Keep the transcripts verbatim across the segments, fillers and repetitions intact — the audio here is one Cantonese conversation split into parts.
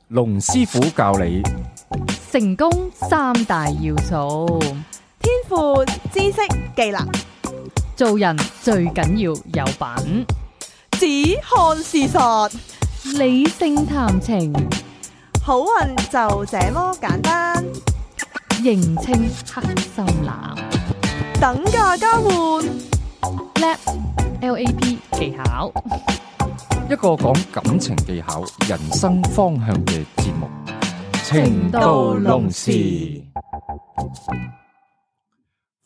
龍師傅教你成功三大要素：天賦、知識、技能。做人最緊要有品，只看事實，理性談情，好運就這麼簡單。認清黑心男，等價交換， L A P L A P 技巧，一個講感情技巧、人生方向嘅節目《情到濃時》。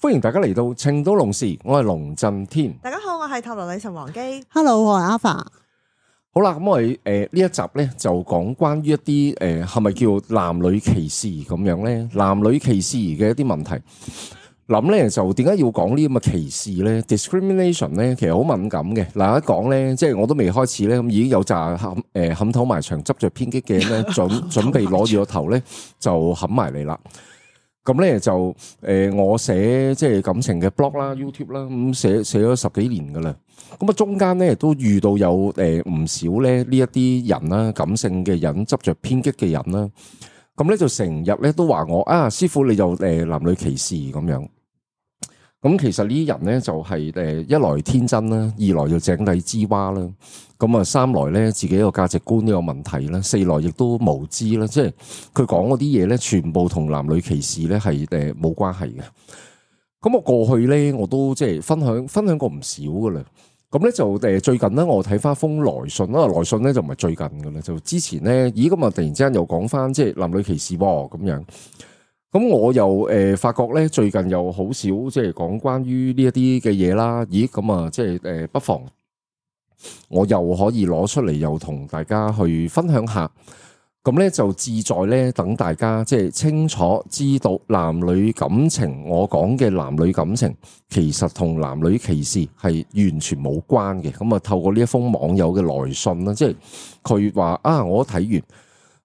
歡迎大家嚟到《情到濃時》，我係龍震天。大家好，我係塔羅女神王姬。Hello， 我係 Alpha。好啦，咁我哋誒呢一集咧就講關於一啲誒係咪叫男女歧視咁樣咧？男女歧視嘅一啲問題，諗咧就點解要講呢咁嘅歧視咧 ？discrimination 咧其實好敏感嘅。嗱，一講咧，即係我都未開始咧，咁已經有紮冚誒冚頭埋牆執着偏激嘅咧，準準備攞住個頭咧就冚埋嚟啦。咁咧就誒、呃，我寫即係感情嘅 blog 啦、YouTube 啦，咁寫寫咗十幾年噶啦。咁啊，中間咧都遇到有誒唔少咧呢一啲人啦，感性嘅人執着偏激嘅人啦。咁咧就成日咧都話我啊，師傅你就誒男女歧視咁樣。咁其實呢啲人咧就係誒一來天真啦，二來就井底之蛙啦。咁啊，三來咧自己個價值觀呢個問題啦，四來亦都無知啦，即係佢講嗰啲嘢咧，全部同男女歧視咧係誒冇關係嘅。咁我過去咧我都即係分享分享過唔少噶啦。咁咧就誒最近咧我睇翻封來信啦，來信咧就唔係最近噶啦，就之前咧咦咁啊突然之間又講翻即係男女歧視喎咁樣。咁我又誒、呃、發覺咧最近又好少即係講關於呢一啲嘅嘢啦。咦咁啊即係誒不妨。我又可以攞出嚟，又同大家去分享下，咁咧就志在咧等大家即係清楚知道男女感情，我講嘅男女感情其實同男女歧視係完全冇關嘅。咁啊，透過呢一封網友嘅來信啦，即係佢話啊，我睇完。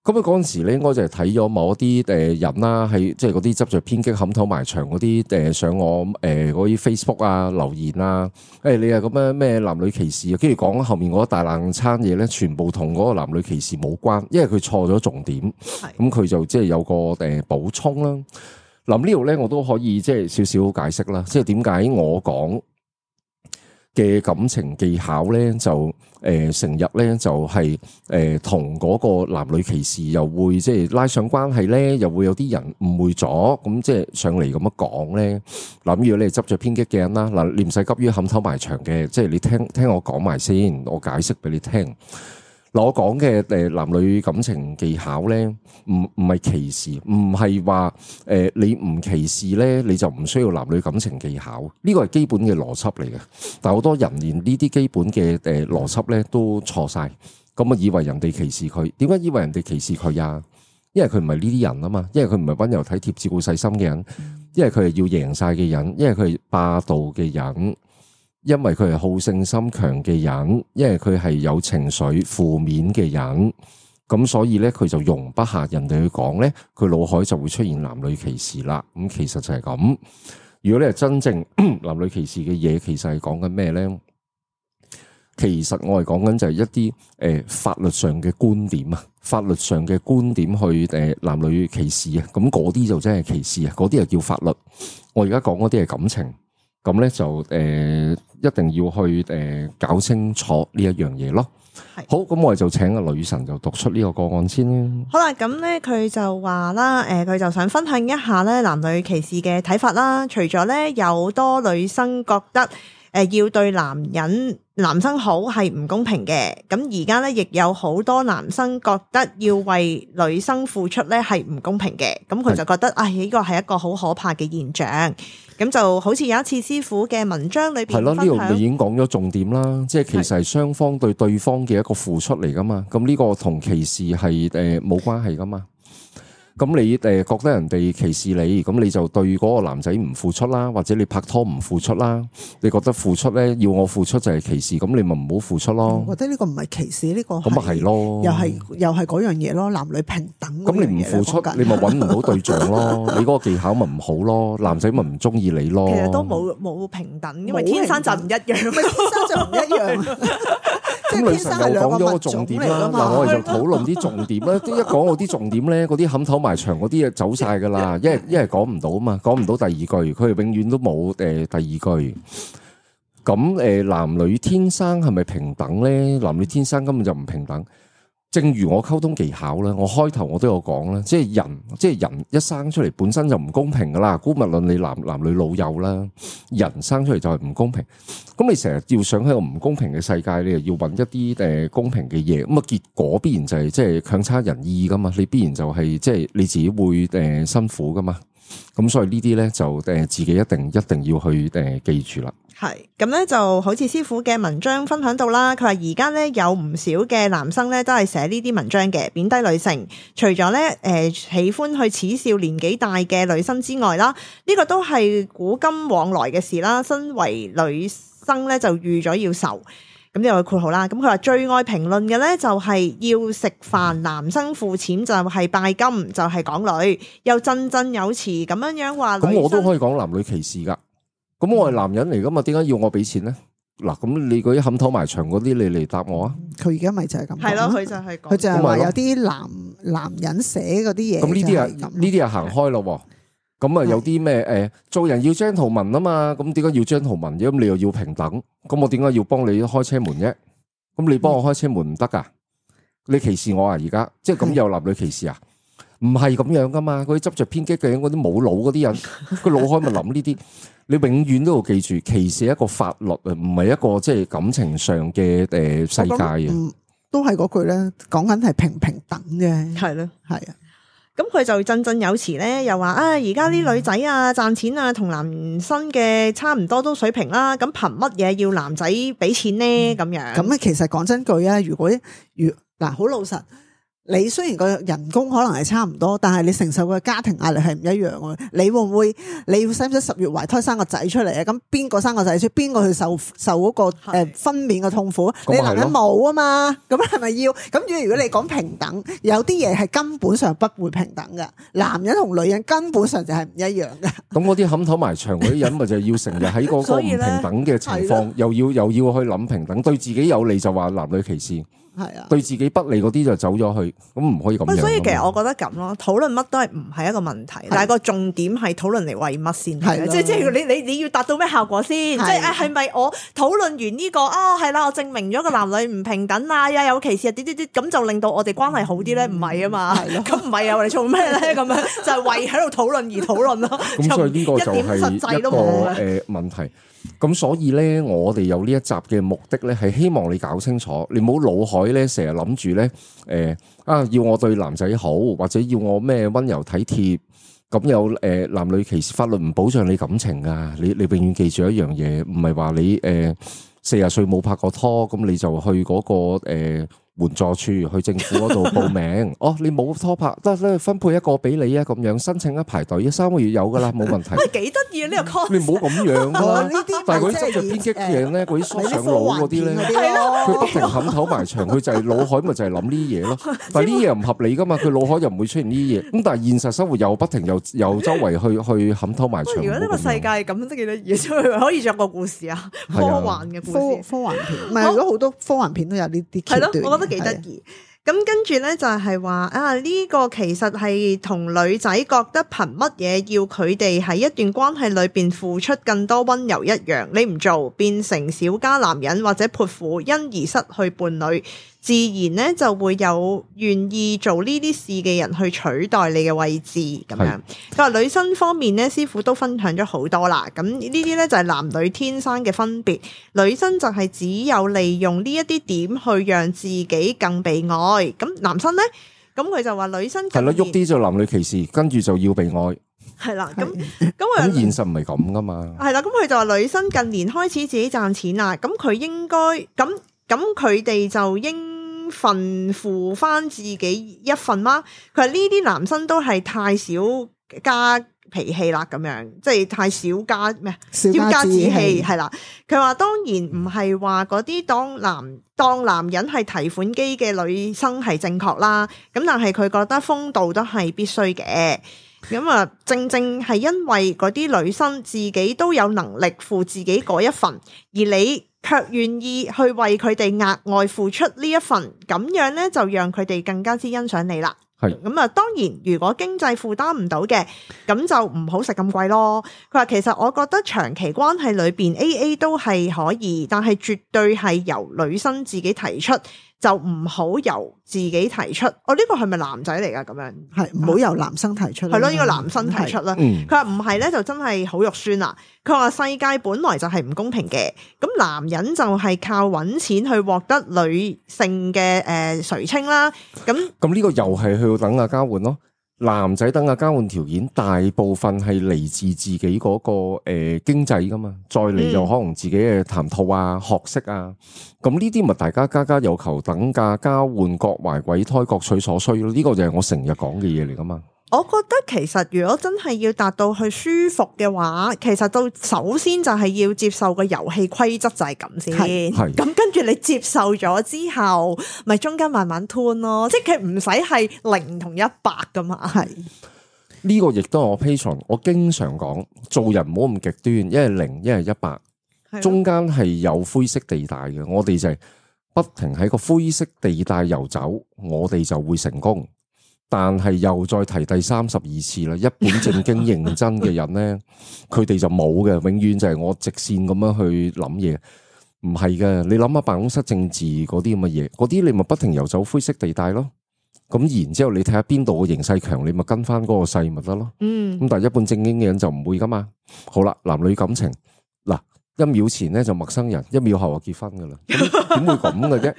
咁啊！嗰陣時咧，應該就係睇咗某一啲誒人啦，係即係嗰啲執着偏激、冚頭埋牆嗰啲誒上我誒嗰啲 Facebook 啊留言啊，誒、哎、你係咁樣咩男女歧視啊？跟住講後面嗰一大爛餐嘢咧，全部同嗰個男女歧視冇關，因為佢錯咗重點。咁佢就即係有個誒補充啦。嗱呢度咧，我都可以即係少少解釋啦，即係點解我講嘅感情技巧咧，就誒成日咧就係誒同嗰個男女歧視又會即係拉上關係咧，又會有啲人誤會咗，咁即係上嚟咁樣講咧。嗱，如果你係執着偏激嘅人啦，嗱你唔使急於冚頭埋牆嘅，即係你聽聽我講埋先，我解釋俾你聽。嗱，我講嘅誒男女感情技巧咧，唔唔係歧視，唔係話誒你唔歧視咧，你就唔需要男女感情技巧，呢個係基本嘅邏輯嚟嘅。但係好多人連呢啲基本嘅誒邏輯咧都錯晒，咁啊以為人哋歧視佢，點解以為人哋歧視佢啊？因為佢唔係呢啲人啊嘛，因為佢唔係溫柔體貼、照顧細心嘅人，因為佢係要贏晒嘅人，因為佢係霸道嘅人。因為佢係好勝心強嘅人，因為佢係有情緒負面嘅人，咁所以咧佢就容不下人哋去講咧，佢腦海就會出現男女歧視啦。咁其實就係咁。如果你係真正男女歧視嘅嘢，其實係講緊咩咧？其實我係講緊就係一啲誒、呃、法律上嘅觀點啊，法律上嘅觀點去誒、呃、男女歧視啊，咁嗰啲就真係歧視啊，嗰啲就叫法律。我而家講嗰啲係感情。咁咧就誒、呃、一定要去誒、呃、搞清楚呢一樣嘢咯。係好，咁我哋就請個女神就讀出呢個個案先啦。好啦，咁咧佢就話啦，誒、呃、佢就想分享一下咧男女歧視嘅睇法啦。除咗咧有多女生覺得誒、呃、要對男人男生好係唔公平嘅，咁而家咧亦有好多男生覺得要為女生付出咧係唔公平嘅，咁佢就覺得唉呢個係一個好可怕嘅現象。咁就好似有一次師傅嘅文章裏邊係咯，呢度你已經講咗重點啦，即係其實係雙方對對方嘅一個付出嚟噶嘛。咁呢個同歧視係誒冇關係噶嘛。咁你誒覺得人哋歧視你，咁你就對嗰個男仔唔付出啦，或者你拍拖唔付出啦，你覺得付出咧要我付出就係歧視，咁你咪唔好付出咯。我覺得呢個唔係歧視，呢個咁咪係咯，又係又係嗰樣嘢咯，男女平等。咁你唔付出，你咪揾唔到對象咯，你嗰個技巧咪唔好咯，男仔咪唔中意你咯。其實都冇冇平等，因為天生就唔一樣，天生就唔一樣。咁女神又講咗個重點啦，嗱我哋就討論啲重點啦。一講我啲重點咧，嗰啲冚頭埋牆嗰啲嘢走晒噶啦，一係一係講唔到啊嘛，講唔到第二句，佢哋永遠都冇誒第二句。咁誒男女天生係咪平等咧？男女天生根本就唔平等。正如我溝通技巧啦，我開頭我都有講啦，即係人，即係人一生出嚟本身就唔公平噶啦。姑勿論你男男女老幼啦，人生出嚟就係唔公平。咁你成日要想喺個唔公平嘅世界，你又要揾一啲誒公平嘅嘢，咁啊結果必然就係即係強差人意噶嘛。你必然就係即係你自己會誒辛苦噶嘛。咁所以呢啲咧就誒自己一定一定要去誒記住啦。係咁咧，就好似師傅嘅文章分享到啦。佢話而家咧有唔少嘅男生咧都係寫呢啲文章嘅，貶低女性。除咗咧誒喜歡去恥笑年紀大嘅女生之外啦，呢個都係古今往來嘅事啦。身為女生咧就預咗要受。咁呢個括號啦。咁佢話最愛評論嘅咧就係要食飯，男生付錢就係拜金，就係港女，又振振有詞咁樣樣話。咁我都可以講男女歧視噶。咁我係男人嚟噶嘛？點解要我俾錢咧？嗱，咁你嗰啲冚頭埋牆嗰啲，你嚟答我啊！佢而家咪就係咁，係咯，佢就係佢就係話有啲男男人寫嗰啲嘢。咁呢啲啊，呢啲啊行開咯。咁啊，有啲咩誒，做人要 gentleman 啊嘛。咁點解要 gentleman？咁你又要平等？咁我點解要幫你開車門啫？咁你幫我開車門唔得噶？你歧視我啊？而家即係咁有男女歧視啊？唔係咁樣噶嘛？嗰啲執着偏激嘅嗰啲冇腦嗰啲人，佢腦開咪諗呢啲。你永遠都要記住，歧視係一個法律啊，唔係一個即係感情上嘅誒世界啊。嗯，都係嗰句咧，講緊係平平等嘅，係咯，係啊。咁佢就振振有詞咧，又話啊，而家啲女仔啊賺錢啊，同男生嘅差唔多都水平啦。咁憑乜嘢要男仔俾錢咧？咁樣咁咧，其實講真句啊，如果如嗱好老實。你雖然個人工可能係差唔多，但係你承受嘅家庭壓力係唔一樣嘅。你會唔會？你要使唔使十月懷胎生個仔出嚟啊？咁邊個生個仔出？邊個去受受嗰個誒分娩嘅痛苦？你男人冇啊嘛？咁係咪要？咁如果你講平等，有啲嘢係根本上不會平等嘅。男人同女人根本上就係唔一樣嘅。咁嗰啲冚頭埋牆嗰啲人，咪就係要成日喺嗰個唔平等嘅情況，又要又要去諗平等，對自己有利就話男女歧視。係啊，對自己不利嗰啲就走咗去，咁唔可以咁樣。所以其實我覺得咁咯，討論乜都係唔係一個問題，但係個重點係討論嚟為乜先？係即係即係你你你要達到咩效果先？即係誒係咪我討論完呢個啊係啦，我證明咗個男女唔平等啊，又有歧視啊啲啲啲，咁就令到我哋關係好啲咧？唔係啊嘛，咁唔係啊，我哋做咩咧？咁樣就係為喺度討論而討論咯。咁所以呢個就係一個誒問題。咁所以咧，我哋有呢一集嘅目的咧，係希望你搞清楚，你唔好腦海咧成日諗住咧，誒、呃、啊要我對男仔好，或者要我咩溫柔體貼，咁有誒、呃、男女歧視法律唔保障你感情啊！你你永遠記住一樣嘢，唔係話你誒四十歲冇拍過拖，咁你就去嗰、嗰個誒。呃援助處去政府嗰度報名，哦，你冇拖拍，得咧分配一個俾你啊，咁樣申請一排隊，三個月有噶啦，冇問題。喂，幾得意啊呢個 concept！你唔好咁樣咯，但係嗰啲執著偏激嘅人咧，嗰啲疏上腦嗰啲咧，佢不停冚頭埋牆，佢就係腦海咪就係諗呢啲嘢咯。但係呢啲嘢唔合理噶嘛，佢腦海又唔會出現呢啲嘢。咁但係現實生活又不停又又周圍去去冚頭埋牆。如果呢個世界咁都幾得意，可以作個故事啊，科幻嘅故事，科幻片。唔係，如果好多科幻片都有呢啲橋段。係咯，我覺得幾得意。咁跟住咧就係話啊呢個其實係同女仔覺得憑乜嘢要佢哋喺一段關係裏邊付出更多溫柔一樣，你唔做變成小家男人或者潑婦，因而失去伴侶，自然咧就會有願意做呢啲事嘅人去取代你嘅位置咁樣。佢話女生方面咧，師傅都分享咗好多啦。咁呢啲咧就係男女天生嘅分別，女生就係只有利用呢一啲點去讓自己更被愛。咁男生咧，咁佢就話女生係咯，喐啲就男女歧視，跟住就要被愛。係啦，咁咁咁現實唔係咁噶嘛。係啦，咁佢就話女生近年開始自己賺錢啦，咁佢應該咁咁佢哋就應份負翻自己一份嗎？佢話呢啲男生都係太少加脾氣啦，咁樣即係太少加咩？少加加志志氣氣係啦。佢話當然唔係話嗰啲當男當男人係提款機嘅女生係正確啦，咁但係佢覺得風度都係必須嘅。咁啊，正正係因為嗰啲女生自己都有能力負自己嗰一份，而你卻願意去為佢哋額外付出呢一份，咁樣咧就讓佢哋更加之欣賞你啦。係咁啊，當然如果經濟負擔唔到嘅，咁就唔好食咁貴咯。佢話其實我覺得長期關係裏邊 A A 都係可以，但係絕對係由女生自己提出，就唔好由自己提出。哦，呢個係咪男仔嚟噶？咁樣係唔好由男生提出啦，係咯，呢個男生提出啦。嗯佢話唔係咧，就真係好肉酸啦。佢話世界本來就係唔公平嘅，咁男人就係靠揾錢去獲得女性嘅誒垂青啦。咁咁呢個又係去到等價交換咯。男仔等價交換條件大部分係嚟自自己嗰、個誒、呃、經濟噶嘛，再嚟就可能自己嘅談吐啊、學識啊，咁呢啲咪大家家家有求，等價交換，各懷鬼胎，各取所需咯。呢、個就係我成日講嘅嘢嚟噶嘛。我覺得其實如果真係要達到去舒服嘅話，其實到首先就係要接受個遊戲規則就係咁先。係係咁跟住你接受咗之後，咪中間慢慢吞咯，即係佢唔使係零同一百噶嘛。係呢個亦都係我 Patreon，我經常講做人唔好咁極端，一係零，一係一百，中間係有灰色地帶嘅。我哋就係不停喺個灰色地帶游走，我哋就會成功。但係又再提第三十二次啦，一本正經認真嘅人咧，佢哋就冇嘅，永遠就係我直線咁樣去諗嘢，唔係嘅。你諗下辦公室政治嗰啲咁嘅嘢，嗰啲你咪不停游走灰色地帶咯。咁然之後你睇下邊度嘅形勢強，你咪跟翻嗰個勢咪得咯。嗯，咁但係一本正經嘅人就唔會噶嘛。好啦，男女感情嗱，一秒前咧就陌生人，一秒後就結婚噶啦。咁點會咁嘅啫？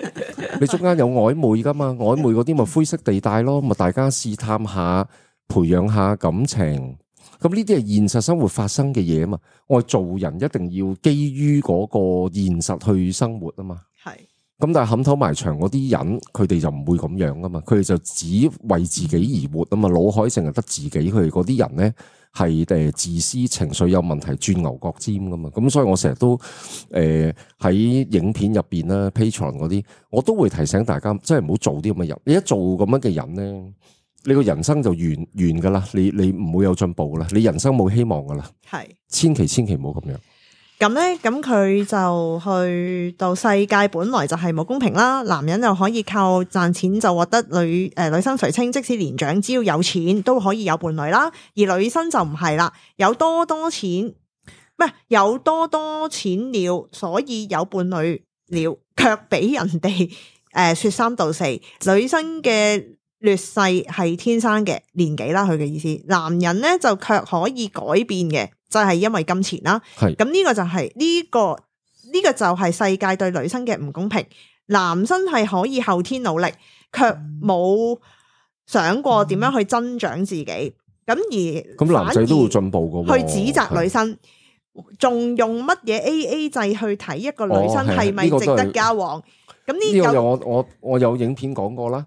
你中間有曖昧噶嘛？曖昧嗰啲咪灰色地帶咯，咪大家試探下，培養下感情。咁呢啲係現實生活發生嘅嘢啊嘛。我哋做人一定要基於嗰個現實去生活啊嘛。係。咁但係冚頭埋牆嗰啲人，佢哋就唔會咁樣噶嘛。佢哋就只為自己而活啊嘛。腦海淨係得自己，佢哋嗰啲人咧係誒自私、情緒有問題、鑽牛角尖噶嘛。咁所以我成日都誒喺、呃、影片入邊啦、Patreon 嗰啲，我都會提醒大家，真係唔好做啲咁嘅人。你一做咁樣嘅人咧，你個人生就完完噶啦。你你唔會有進步噶啦，你人生冇希望噶啦。係。千祈千祈唔好咁樣。咁咧，咁佢就去到世界本來就係冇公平啦，男人又可以靠賺錢就獲得女誒、呃、女生垂青，即使年長只要有錢都可以有伴侶啦，而女生就唔係啦，有多多錢，唔係有多多錢了，所以有伴侶了，卻俾人哋誒、呃、說三道四，女生嘅劣勢係天生嘅年紀啦，佢嘅意思，男人咧就卻可以改變嘅。就係因為金錢啦，係咁呢個就係呢個呢個就係世界對女生嘅唔公平。男生係可以後天努力，卻冇想過點樣去增長自己。咁而咁男仔都會進步噶，去指責女生，仲用乜嘢 A A 制去睇一個女生係咪值得交往？咁呢個有我我我有影片講過啦。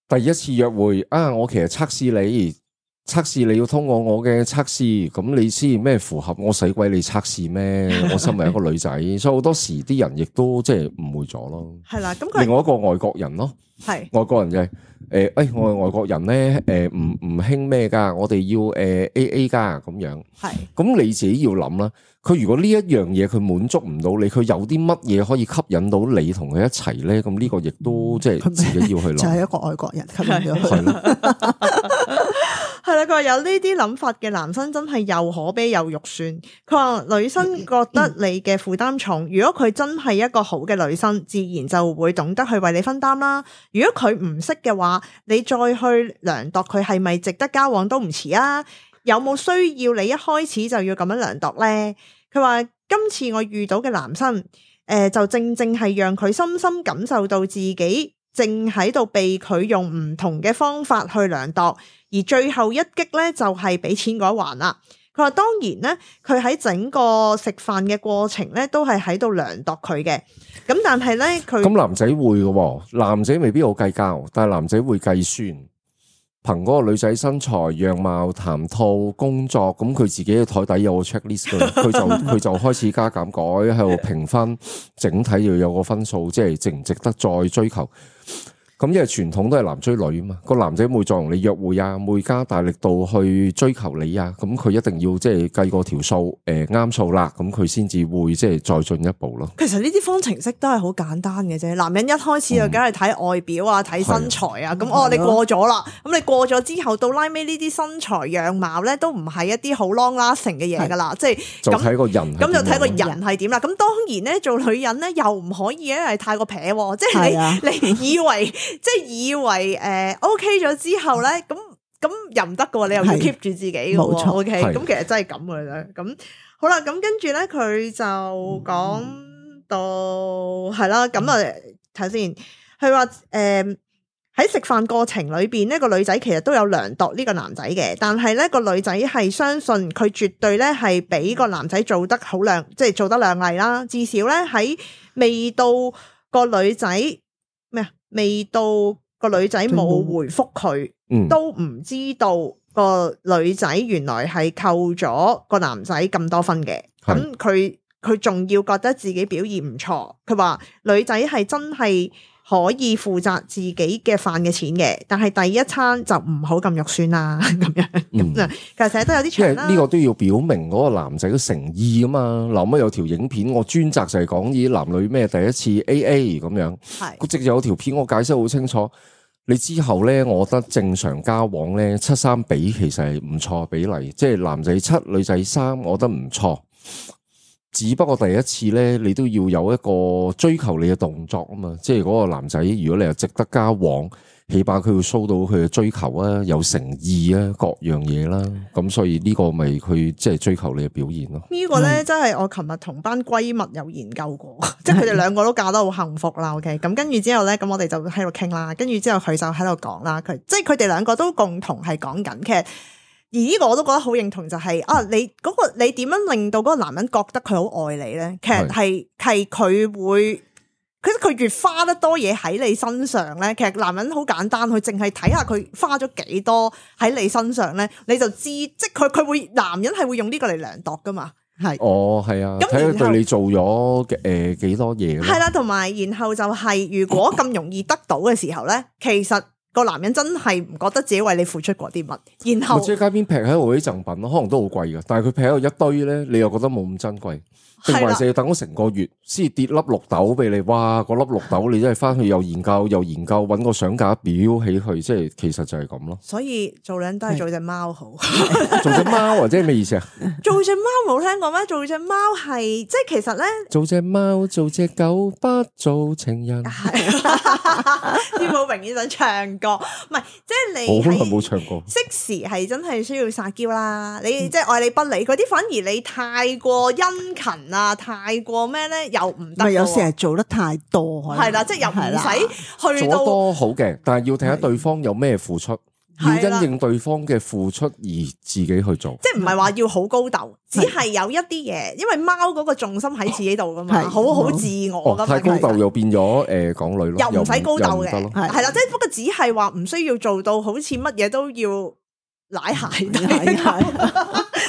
第一次約會啊，我其實測試你。測試你要通過我嘅測試，咁你先咩符合？我使鬼你測試咩？我身為一個女仔，所以好多時啲人亦都即係誤會咗咯。係啦，咁佢另外一個外國人咯，係外國人就係誒，誒我係外國人咧，誒唔唔興咩噶，我哋要誒 A A 噶咁樣。係，咁你自己要諗啦。佢如果呢一樣嘢佢滿足唔到你，佢有啲乜嘢可以吸引到你同佢一齊咧？咁呢個亦都即係自己要去諗。就係一個外國人吸引咗佢。係啦，佢話有呢啲諗法嘅男生真係又可悲又肉酸。佢話女生覺得你嘅負擔重，如果佢真係一個好嘅女生，自然就會懂得去為你分擔啦。如果佢唔識嘅話，你再去量度佢係咪值得交往都唔遲啊。有冇需要你一開始就要咁樣量度呢？佢話今次我遇到嘅男生，誒、呃、就正正係讓佢深深感受到自己正喺度被佢用唔同嘅方法去量度，而最後一擊咧就係俾錢嗰一環啦。佢佢話當然咧，佢喺整個食飯嘅過程咧，都係喺度量度佢嘅。咁但係咧，佢咁男仔會嘅喎，男仔未必好計較，但係男仔會計算，憑嗰個女仔身材、樣貌、談吐、工作，咁佢自己嘅台底有個 checklist 嘅，佢就佢就開始加減改喺度評分，整體要有個分數，即係值唔值得再追求。咁因為傳統都係男追女啊嘛，個男仔會再同你約會啊，會加大力度去追求你啊，咁佢一定要即係計過條數，誒啱數啦，咁佢先至會即係再進一步咯。其實呢啲方程式都係好簡單嘅啫。男人一開始就梗係睇外表啊，睇、嗯、身材啊，咁哦你過咗啦，咁你過咗之後到拉尾呢啲身材樣貌咧都唔係一啲好 long lasting 嘅嘢噶啦，即係就睇個人，咁就睇個人係點啦。咁當然咧做女人咧又唔可以咧係太過撇，即係你、啊、你以為。即係以為誒、呃、OK 咗之後咧，咁咁又唔得嘅喎，你又要 keep 住自己嘅喎。OK，咁其實真係咁嘅啫。咁好啦，咁跟住咧佢就講到係啦，咁啊睇先，佢話誒喺食飯過程裏邊呢個女仔其實都有量度呢個男仔嘅，但係咧個女仔係相信佢絕對咧係比個男仔做得好靚，即係做得靚麗啦。至少咧喺未到個女仔。咩啊？未到個女仔冇回覆佢，嗯、都唔知道個女仔原來係扣咗個男仔咁多分嘅。咁佢佢仲要覺得自己表現唔錯。佢話女仔係真係可以負責自己嘅飯嘅錢嘅，但係第一餐就唔好咁肉酸啦。咁樣咁啊，其實成日都有啲長啦。呢個都要表明嗰個男仔嘅誠意啊嘛。嗱，咁有條影片，我專責就係講呢啲男女咩第一次 A A 咁樣。係，佢直接有條片我解釋好清楚。你之後咧，我覺得正常交往咧七三比其實係唔錯比例，即係男仔七女仔三，我覺得唔錯。只不過第一次咧，你都要有一個追求你嘅動作啊嘛，即係嗰個男仔，如果你係值得交往，起碼佢會 show 到佢嘅追求啊，有誠意啊，各樣嘢啦，咁所以呢個咪佢即係追求你嘅表現咯。呢個咧真係我琴日同班閨蜜有研究過，即係佢哋兩個都嫁得好幸福啦。OK，咁跟住之後咧，咁我哋就喺度傾啦，跟住之後佢就喺度講啦，佢即係佢哋兩個都共同係講緊嘅。而呢個我都覺得好認同，就係、是、啊，你嗰、那個你點樣令到嗰個男人覺得佢好愛你咧？其實係係佢會，其實佢越花得多嘢喺你身上咧，其實男人好簡單，佢淨係睇下佢花咗幾多喺你身上咧，你就知，即係佢佢會男人係會用呢個嚟量度噶嘛。係哦，係啊，睇佢對你做咗誒幾多嘢。係啦，同埋然後就係、是、如果咁容易得到嘅時候咧，其實。個男人真係唔覺得自己為你付出過啲乜，然後即係街邊劈喺度啲贈品咯，可能都好貴噶，但係佢劈喺度一堆咧，你又覺得冇咁珍貴，定還是要等咗成個月先跌粒綠豆俾你？哇！嗰粒綠豆你真係翻去又研究又研究，搵個相架表起去，即係其實就係咁咯。所以做人都係做隻貓好，做隻貓或者係咩意思啊？做隻貓冇聽過咩？做隻貓係即係其實咧，做隻貓做隻狗不做情人。天寶明顯想唱歌，唔係即係你好耐冇唱過。適時係真係需要撒嬌啦，你即係愛理不理嗰啲，反而你太過殷勤啊，太過咩咧又唔得。有時係做得太多，係啦，即係又唔使去到做得多好嘅，但係要睇下對方有咩付出。要因應對方嘅付出而自己去做，即係唔係話要好高竇，只係有一啲嘢，因為貓嗰個重心喺自己度噶嘛，好好自我噶嘛。太高竇又變咗誒港女咯，又唔使高竇嘅，係啦，即係不過只係話唔需要做到好似乜嘢都要舐鞋底，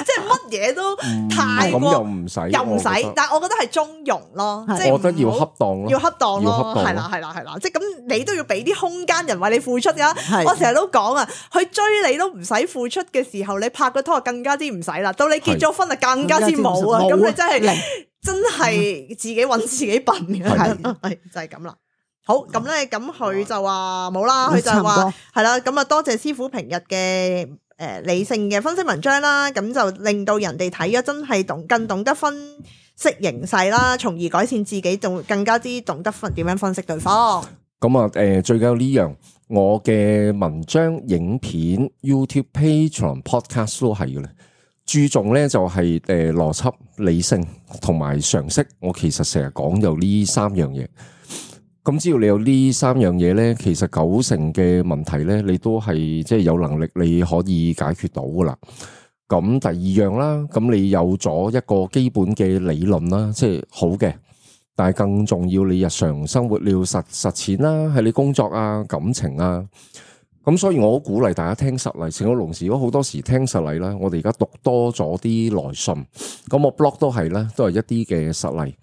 即係乜嘢都太過，咁又唔使，又唔使，但係我覺得係中庸咯，即係我覺得要恰當咯，要恰當咯，係啦係啦係啦，即係咁你都要俾啲空間人為你付出噶。我成日都講啊，佢追你都唔使付出嘅時候，你拍個拖更加之唔使啦。到你結咗婚啊，更加之冇啊。咁你真係真係自己搵自己笨嘅，係就係咁啦。好，咁咧，咁佢就話冇啦，佢就話係啦，咁啊多謝師傅平日嘅誒理性嘅分析文章啦，咁就令到人哋睇咗真係懂更懂得分析形勢啦，從而改善自己，仲更加之懂得分點樣分析對方。咁啊，誒最緊要呢樣，我嘅文章、影片、YouTube page 同 podcast 都係嘅咧，注重咧就係誒邏輯、理性同埋常識。我其實成日講有呢三樣嘢。咁只要你有呢三樣嘢咧，其實九成嘅問題咧，你都係即係有能力你可以解決到噶啦。咁第二樣啦，咁你有咗一個基本嘅理論啦，即係好嘅。但係更重要，你日常生活你要實實踐啦，喺你工作啊、感情啊。咁所以我好鼓勵大家聽實例。成個龍時，如果好多時聽實例啦，我哋而家讀多咗啲來信，咁我 blog 都係啦，都係一啲嘅實例。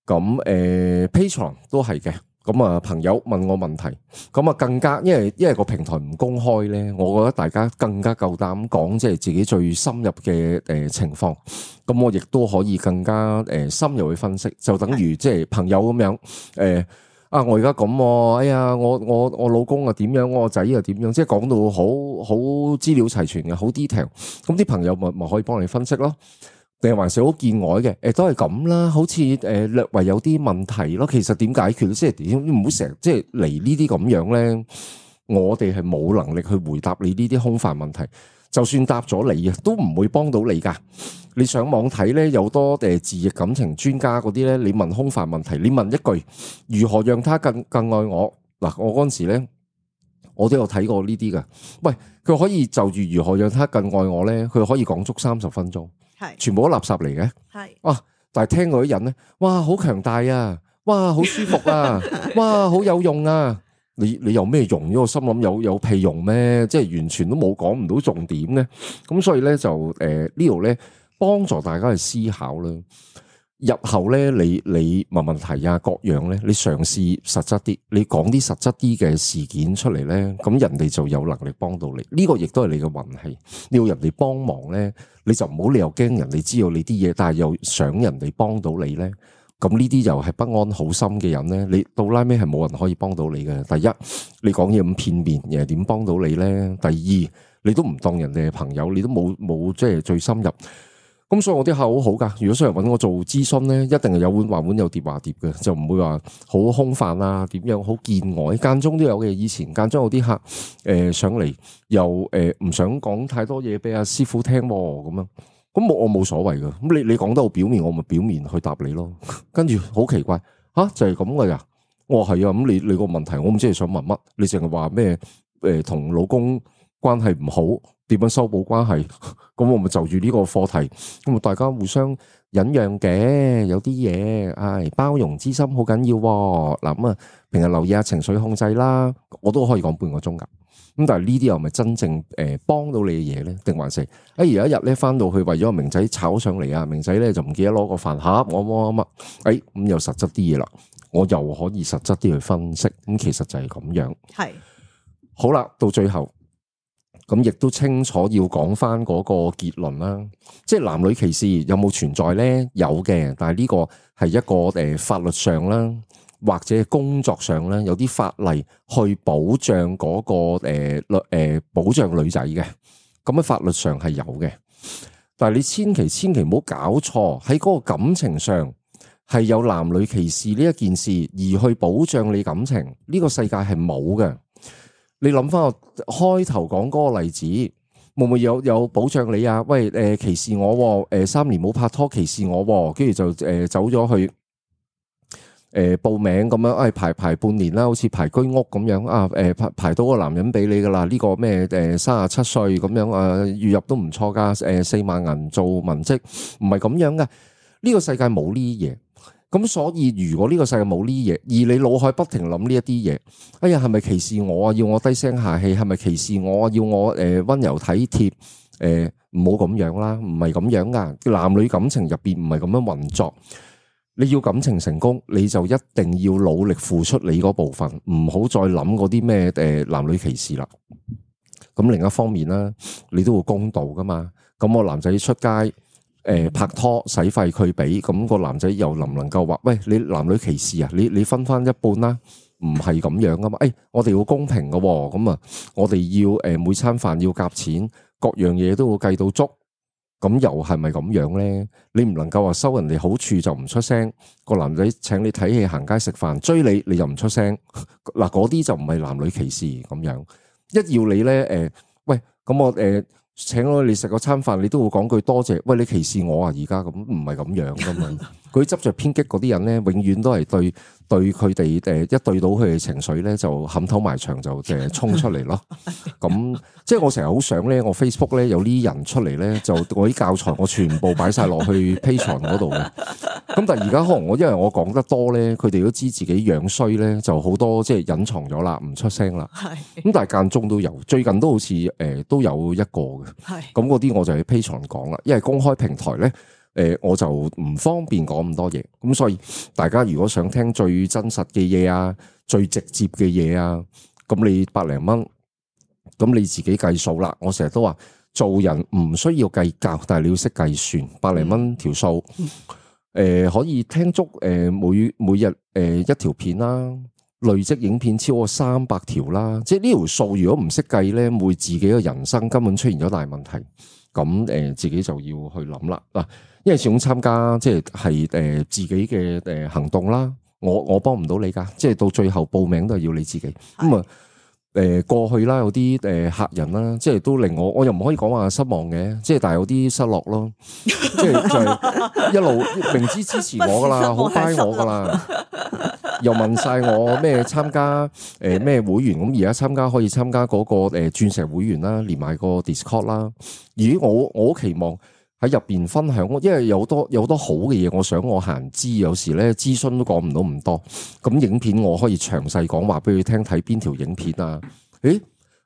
咁誒 Patreon 都係嘅。咁啊，朋友問我問題，咁啊更加，因為因為個平台唔公開咧，我覺得大家更加夠膽講，即係自己最深入嘅誒情況。咁我亦都可以更加誒深入去分析，就等於即係朋友咁樣誒啊！我而家咁，哎呀，我我我老公啊點樣，我個仔又點樣，即係講到好好資料齊全嘅，好 detail。咁啲朋友咪咪可以幫你分析咯。定係還是好見外嘅，誒都係咁啦，好似誒略為有啲問題咯。其實點解決？即係點唔好成日即係嚟呢啲咁樣咧？我哋係冇能力去回答你呢啲空泛問題。就算答咗你啊，都唔會幫到你噶。你上網睇咧，有多誒自譯感情專家嗰啲咧，你問空泛問題，你問一句如何讓他更更愛我嗱，我嗰陣時咧，我都有睇過呢啲噶。喂，佢可以就住如何讓他更愛我咧，佢可以講足三十分鐘。係全部都垃圾嚟嘅，係哇！但係聽嗰啲人咧，哇，好強大啊，哇，好舒服啊，哇，好有用啊！你你有咩用？我心諗有有屁用咩？即係完全都冇講唔到重點咧。咁所以咧就誒、呃、呢度咧幫助大家去思考啦。日後咧你你問問題啊各樣咧，你嘗試實質啲，你講啲實質啲嘅事件出嚟咧，咁人哋就有能力幫到你。呢、這個亦都係你嘅運氣。你要人哋幫忙咧，你就唔好你又驚人哋知道你啲嘢，但係又想人哋幫到你咧。咁呢啲又係不安好心嘅人咧，你到拉尾係冇人可以幫到你嘅。第一，你講嘢咁片面，人係點幫到你咧？第二，你都唔當人哋係朋友，你都冇冇即係最深入。咁所以我啲客好好噶，如果上嚟揾我做諮詢咧，一定係有碗話碗有碟話碟嘅，就唔會話好空泛啊，點樣好見外，間中都有嘅。以前間中有啲客誒、呃、上嚟，又誒唔、呃、想講太多嘢俾阿師傅聽咁樣，咁我我冇所謂噶。咁你你講得好表面，我咪表面去答你咯。跟住好奇怪吓、啊，就係咁噶咋？我話係啊，咁你你個問題我唔知你想問乜，你淨係話咩誒同老公關係唔好，點樣修補關係？咁我咪就住呢個課題，咁啊大家互相忍讓嘅，有啲嘢，唉，包容之心好緊要。嗱咁啊，平日留意下情緒控制啦，我都可以講半個鐘噶。咁但係呢啲又咪真正誒幫到你嘅嘢咧？定還是誒有一日咧翻到去為咗個明仔炒上嚟啊，明仔咧就唔記得攞個飯盒，我乜乜乜，誒咁又實質啲嘢啦，我又可以實質啲去分析。咁其實就係咁樣。係好啦，到最後。咁亦都清楚要講翻嗰個結論啦，即係男女歧視有冇存在咧？有嘅，但係呢個係一個誒法律上啦，或者工作上咧，有啲法例去保障嗰個誒律誒保障女仔嘅，咁喺法律上係有嘅。但係你千祈千祈唔好搞錯，喺嗰個感情上係有男女歧視呢一件事，而去保障你感情，呢個世界係冇嘅。你諗翻我開頭講嗰個例子，會唔會有有保障你啊？喂，誒、呃、歧視我，誒、呃、三年冇拍拖歧視我，跟住就誒、呃、走咗去誒、呃、報名咁樣，誒、哎、排排半年啦，好似排居屋咁樣啊，誒、呃、排排到個男人俾你噶啦，呢、這個咩誒三十七歲咁樣啊，月入都唔錯噶，誒、呃、四萬銀做文職，唔係咁樣噶，呢、這個世界冇呢啲嘢。咁所以如果呢個世界冇呢啲嘢，而你腦海不停諗呢一啲嘢，哎呀係咪歧視我啊？要我低聲下氣？係咪歧視我啊？要我誒溫柔體貼？誒唔好咁樣啦，唔係咁樣噶。男女感情入邊唔係咁樣運作。你要感情成功，你就一定要努力付出你嗰部分，唔好再諗嗰啲咩誒男女歧視啦。咁另一方面啦，你都會公道噶嘛。咁我男仔出街。誒、呃，拍拖使費佢俾，咁、那個男仔又能唔能夠話，喂，你男女歧視啊？你你分翻一半啦，唔係咁樣噶嘛？誒、哎，我哋要公平噶，咁啊，我哋要誒、呃、每餐飯要夾錢，各樣嘢都會計到足，咁又係咪咁樣咧？你唔能夠話收人哋好處就唔出聲，個男仔請你睇戲、行街、食飯、追你，你又唔出聲，嗱嗰啲就唔係男女歧視咁樣。一要你咧，誒、呃，喂，咁我誒。呃請咗你食個餐飯，你都會講句多謝。喂，你歧視我啊？而家咁唔係咁樣噶嘛？佢執着偏激嗰啲人咧，永遠都係對對佢哋誒一對到佢哋情緒咧，就冚頭埋牆就誒衝出嚟咯。咁即係我成日好想咧，我 Facebook 咧有啲人出嚟咧，就我啲教材我全部擺晒落去 Patreon 嗰度嘅。咁但係而家可能我因為我講得多咧，佢哋都知自己樣衰咧，就好多即係隱藏咗啦，唔出聲啦。係咁，但係間中都有，最近都好似誒、呃、都有一個嘅。係咁嗰啲我就喺 Patreon 講啦，因為公開平台咧。誒，我就唔方便講咁多嘢，咁所以大家如果想聽最真實嘅嘢啊，最直接嘅嘢啊，咁你百零蚊，咁你自己計數啦。我成日都話做人唔需要計較，但係你要識計算，百零蚊條數，誒、呃、可以聽足誒每每日誒一條片啦，累積影片超過三百條啦，即係呢條數如果唔識計咧，會自己嘅人生根本出現咗大問題，咁誒、呃、自己就要去諗啦嗱。因為始終參加即係係誒自己嘅誒行動啦，我我幫唔到你噶，即係到最後報名都係要你自己。咁啊誒過去啦，有啲誒客人啦，即係都令我，我又唔可以講話失望嘅，即係但係有啲失落咯，即係就係一路明知支持我噶啦，好 buy 我噶啦，又問晒我咩參加誒咩會員，咁而家參加可以參加嗰個誒鑽石會員啦，連埋個 Discord 啦，而我我好期望。喺入邊分享，因為有多有好多好嘅嘢，我想我閒知，有時咧諮詢都講唔到咁多。咁影片我可以詳細講話俾佢聽，睇邊條影片啊？誒，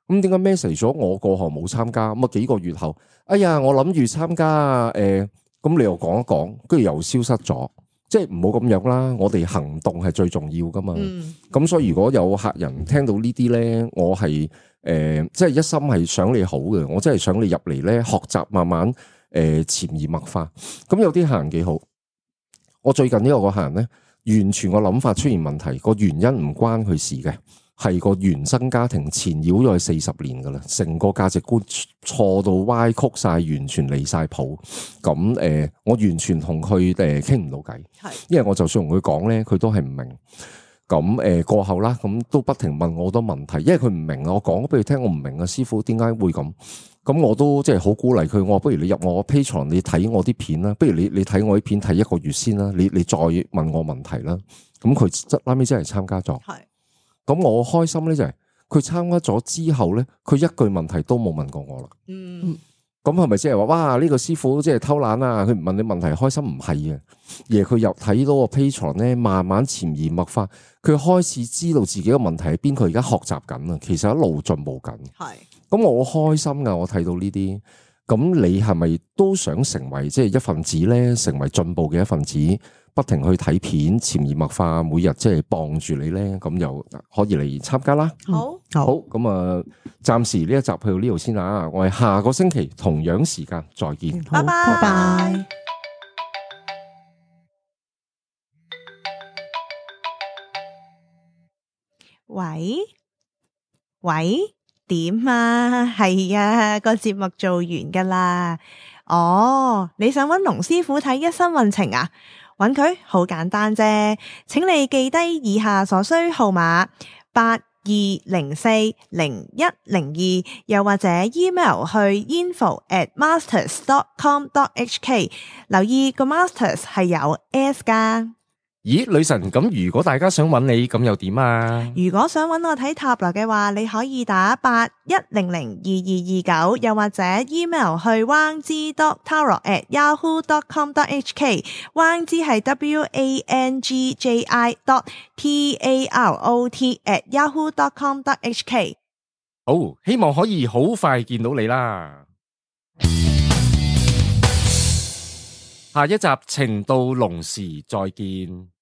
咁點解 message 咗我過後冇參加？咁啊幾個月後，哎呀，我諗住參加啊，誒、呃，咁你又講一講，跟住又消失咗，即係唔好咁樣啦。我哋行動係最重要噶嘛。咁、嗯、所以如果有客人聽到呢啲咧，我係誒、呃，即係一心係想你好嘅，我真係想你入嚟咧學習，慢慢。誒，潛移默化，咁有啲客人幾好。我最近呢個個客人咧，完全個諗法出現問題，個原因唔關佢事嘅，係個原生家庭纏繞咗佢四十年噶啦，成個價值觀錯到歪曲晒，完全離晒譜。咁誒、呃，我完全同佢誒傾唔到偈，係，因為我就算同佢講咧，佢都係唔明。咁誒、呃、過後啦，咁都不停問我好多問題，因為佢唔明啊。我講咗俾佢聽，我唔明啊，師傅點解會咁？咁我都即係好鼓勵佢，我話不如你入我 Patreon，你睇我啲片啦，不如你你睇我啲片睇一個月先啦，你你再問我問題啦。咁佢即拉尾真係參加咗，係。咁我開心咧就係佢參加咗之後咧，佢一句問題都冇問過我啦。嗯。咁係咪即係話哇？呢個師傅即係偷懶啊？佢唔問你問題開心唔係啊？而佢又睇到個 Patreon 咧，慢慢潛移默化，佢開始知道自己嘅問題喺邊，佢而家學習緊啊，其實一路進步緊。係，咁我好開心噶，我睇到呢啲。咁你係咪都想成為即係一份子咧？成為進步嘅一份子，不停去睇片，潛移默化，每日即係幫住你咧，咁又可以嚟參加啦。好，好，咁啊，暫時呢一集去到呢度先啊，我哋下個星期同樣時間再見，拜拜拜。喂喂，點啊？係啊，個節目做完噶啦。哦，你想揾龍師傅睇一生運程啊？揾佢好簡單啫，請你記低以下所需號碼八二零四零一零二，又或者 email 去 info at masters dot com dot h k， 留意個 masters 係有 s 噶。咦，女神，咁如果大家想揾你，咁又點啊？如果想揾我睇塔羅嘅話，你可以打八一零零二二二九，又或者 email 去 wang zi dot tarot at yahoo dot com dot h k。wang zi 係 w a n g j i dot t a r o t at yahoo dot com dot h k。好，希望可以好快見到你啦。下一集情到濃時再見。